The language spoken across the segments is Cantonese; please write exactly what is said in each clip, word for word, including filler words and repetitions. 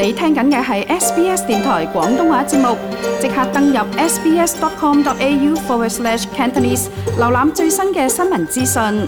你聽緊嘅係 S B S 電台廣東話節目，即刻登入 sbs.com.au forward slash Cantonese， 瀏覽最新嘅新聞資訊。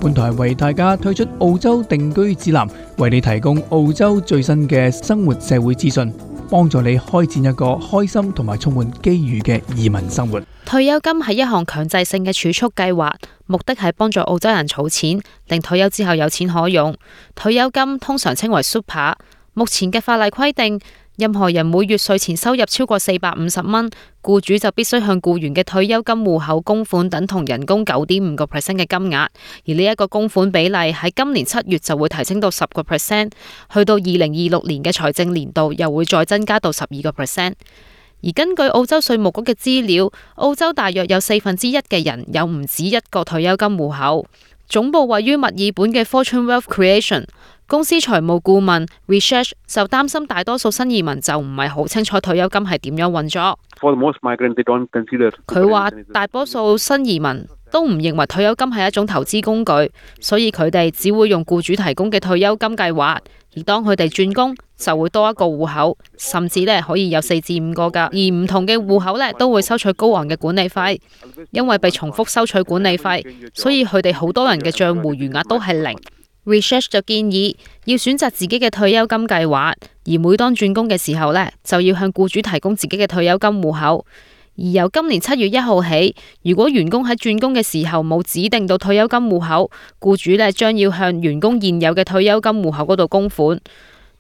本台為大家推出澳洲定居指南，為你提供澳洲最新嘅生活社會資訊，幫助你開展一個開心同埋充滿機遇嘅移民生活。退休金係一項強制性嘅儲蓄計劃，目的係幫助澳洲人儲錢，令退休之後有錢可用。退休金通常稱為 Super。目前嘅法例規定，任何人每月稅前收入超過四百五十蚊，僱主就必須向僱員嘅退休金戶口供款等同人工九點五個 percent 嘅金額，而呢一個供款比例喺今年七月就會提升到十個 percent， 去到二零二六年嘅財政年度又會再增加到十二個 percent。而根據澳洲稅務局嘅資料，澳洲大約有四分之一嘅人有唔止一個退休金戶口。總部位於墨爾本嘅 Fortune Wealth Creation公司財務顧問 Research 就擔心大多數新移民就唔係好清楚退休金係點樣運作。佢話大多數新移民都唔認為退休金係一種投資工具，所以佢哋只會用僱主提供嘅退休金計劃，而當佢哋轉工就會多一個戶口，甚至咧可以有四至五個噶。而唔同嘅戶口咧都會收取高昂嘅管理費，因為被重複收取管理費，所以佢哋好多人嘅賬戶餘額都係零。Research 就建議要選擇自己嘅退休金計劃，而每當轉工嘅時候呢，就要向僱主提供自己嘅退休金戶口。而由今年七月一號起，如果員工喺轉工嘅時候冇指定到退休金戶口，僱主呢將要向員工現有嘅退休金戶口嗰度供款。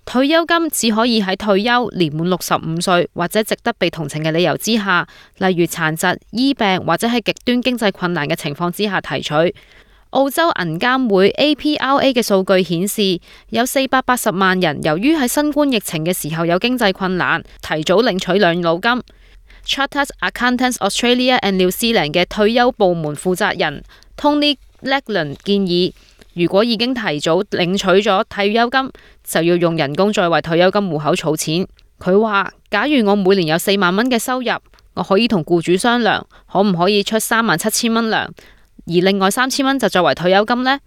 退休金只可以喺退休年滿六十五歲或者值得被同情嘅理由之下，例如殘疾、醫病或者係極端經濟困難嘅情況之下提取。澳洲銀監會 A P R A 嘅數據顯示，有四百八十萬人由於喺新冠疫情嘅時候有經濟困難，提早領取養老金。Chartered Accountants Australia and New Zealand 嘅退休部門負責人 Tony Legland 建議，如果已經提早領取咗退休金，就要用人工再為退休金戶口儲錢。佢話，假如我每年有四萬蚊嘅收入，我可以同僱主商量，可唔可以出三萬七千蚊糧，而另外三千蚊就作為退休金呢？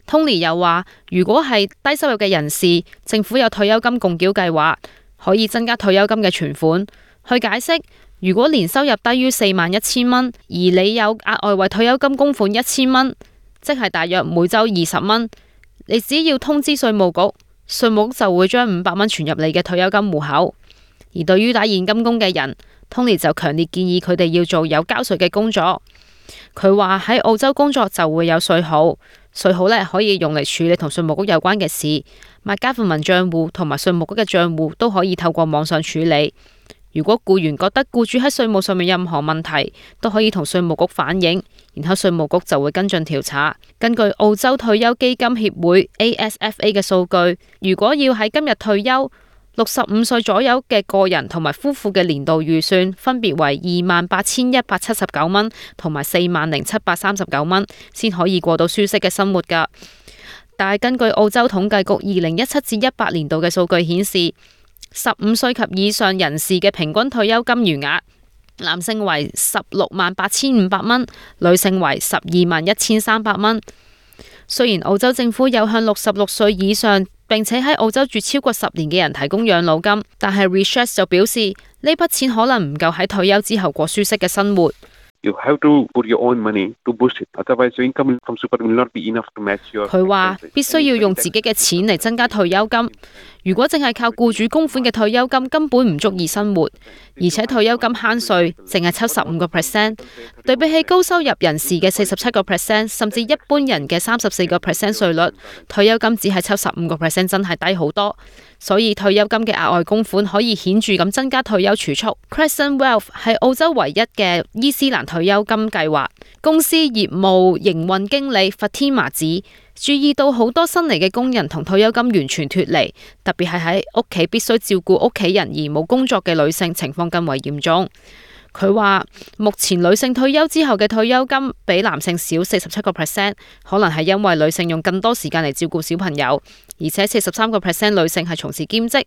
Tony 又話，如果係低收入嘅人士，政府有退休金共繳計劃，可以增加退休金嘅存款。去解釋，如果年收入低於四萬一千蚊，而你有額外為退休金供款一千蚊，即係大約每周二十蚊，你只要通知稅務局，稅務局就會將五百蚊存入你嘅退休金戶口。而對於打現金工嘅人， Tony 就強烈建議佢哋要做有交稅嘅工作。佢話喺澳洲工作就會有稅號，稅號咧可以用嚟處理同稅務局有關嘅事，買家父民賬戶同埋稅務局嘅賬戶都可以透過網上處理。如果僱員覺得僱主喺稅務上面任何問題，都可以同稅務局反映，然後稅務局就會跟進調查。根據澳洲退休基金協會 A S F A 嘅數據，如果要喺今日退休，六十五歲左右嘅個人同埋夫婦嘅年度預算分別為二萬八千一百七十九蚊同埋四萬零七百三十九蚊，先可以過到舒適嘅生活㗎。但係根據澳洲統計局二零一七至一八年度嘅數據顯示，十五歲及以上人士嘅平均退休金餘額，男性為十六萬八千五百蚊，女性為十二萬一千三百蚊。雖然澳洲政府有向六十六歲以上並且喺澳洲住超過十年嘅人提供養老金，但係 Research 就表示呢筆錢可能唔夠喺退休之後過舒適嘅生活。佢話必須要用自己嘅錢嚟增加退休金。如果淨係靠僱主供款嘅退休金，根本唔足以生活，而且退休金慳稅，淨係抽十五個 percent， 對比起高收入人士嘅四十七個 percent， 甚至一般人嘅三十四個 percent 稅率，退休金只係抽十五個 percent， 真係低好多。所以退休金嘅額外供款可以顯著咁增加退休儲蓄。Crescent Wealth 係澳洲唯一嘅伊斯蘭退休金計劃。公司業務營運經理 Fatima 指，注意到好多新嚟嘅工人同退休金完全脫離，特別係喺屋企必須照顧屋企人而冇工作嘅女性情況更為嚴重。佢話目前女性退休之後嘅退休金比男性少四十七個 percent， 可能係因為女性用更多時間嚟照顧小朋友，而且四十三個 percent 女性係從事兼職，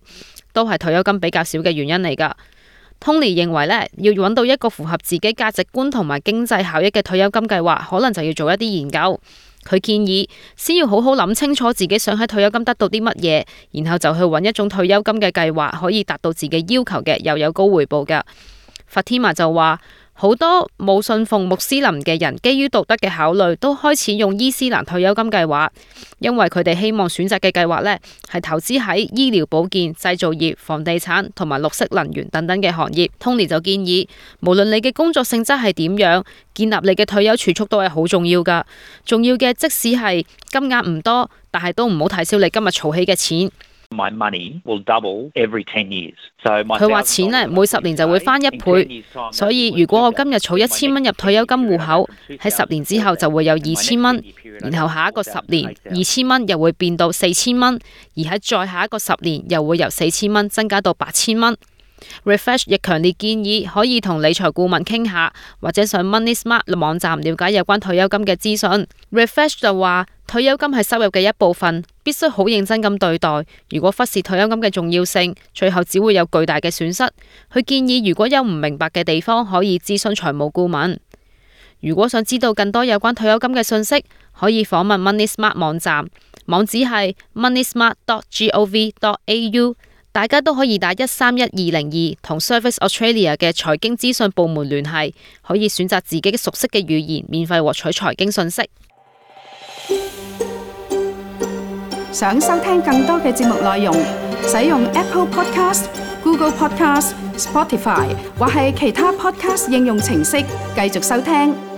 都係退休金比較少嘅原因嚟㗎。Tony 認為咧，要揾到一個符合自己價值觀同埋經濟效益嘅退休金計劃，可能就要做一啲研究。佢建議先要好好諗清楚自己想喺退休金得到啲乜嘢，然後就去揾一種退休金嘅計劃，可以達到自己要求嘅，又有高回報嘅。Fatima 就話，好多冇信奉穆斯林嘅人，基於道德嘅考慮，都開始用伊斯蘭退休金計劃，因為佢哋希望選擇嘅計劃呢係投資喺醫療保健、製造業、房地產同埋綠色能源等等嘅行業。Tony 就建議，無論你嘅工作性質係點樣，建立你嘅退休儲蓄都係好重要噶。重要嘅即使係金額唔多，但係都唔好睇小你今日儲起嘅錢。My money will double every ten years. 佢話錢呢每十年就會翻一倍，所以如果我今日儲一千蚊入退休金戶口，喺十年之後就會有二千蚊，然後下一個十年二千蚊又會變到四千蚊，而喺再下一個十年又會由四千蚊增加到八千蚊。Refresh 亦強烈建議可以同理財顧問傾下，或者上 Money Smart 網站了解有關退休金嘅資訊。Refresh 就話，退休金係收入嘅一部分，必須好認真咁對待。如果忽視退休金嘅重要性，最後只會有巨大嘅損失。佢建議如果有唔明白嘅地方，可以諮詢財務顧問。如果想知道更多有關退休金嘅信息，可以訪問 Money Smart 網站，網址係 money smart dot gov dot a u。大家都可以打一三一二零二同 Service Australia 嘅財經資訊部門聯繫，可以選擇自己熟悉嘅語言，免費獲取財經信息。想收聽更多嘅節目內容，使用 Apple Podcast、Google Podcast、Spotify 或係其他 Podcast 應用程式繼續收聽。